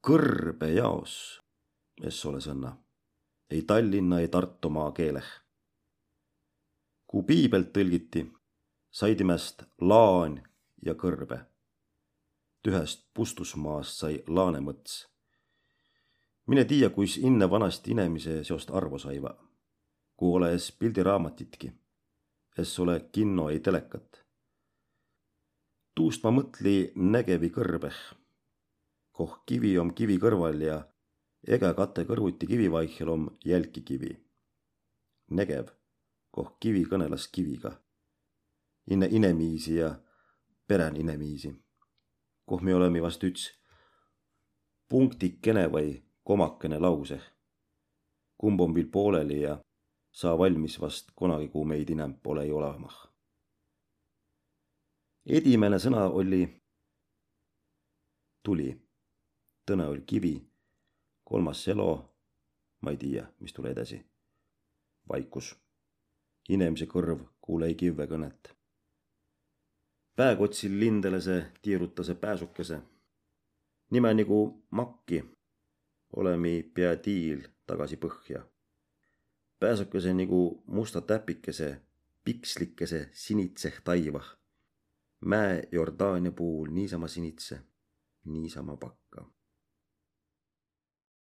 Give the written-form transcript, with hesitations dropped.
kõrbe jaos, es ole sõnna, ei Tallinna, ei Tartu maa keeleh. Kui piibelt tõlgiti, sai timest laan ja kõrbe. Tühest Pustusmaast sai Laanemõts. Mine tiia, kuis inne vanasti inemise seost arvo saiva, kui ole es pildiraamatitki, es ole kinno ei telekat. Tuust ma mõtli Negevi kõrbeh, koh kivi om kivi kõrval ja ega kate kõrvuti kivi vaihel om jälki kivi. Negev, koh kivi kõnelas kiviga, inne inemiisi ja perän inemiisi, koh me oleme vast üts punktikene või komakene lauseh, kumb on viil pooleli ja saa valmis vast kunagi, kui meid inem pole ei olemah. Edimene sõna oli tuli, tõne oli kivi, kolmas selo, ma ei tiia, mis tule edasi. Vaikus, inemise kõrv kuule ei kivve kõnet. Pääkotsil lindelese tiirutase pääsukese, nime nagu makki, olemi pea tiil tagasi põhja. Pääsukese nagu musta täpikese, pikslikese sinitseh taivah. Mäe Jordaania puul niisama sinitse, niisama pakka.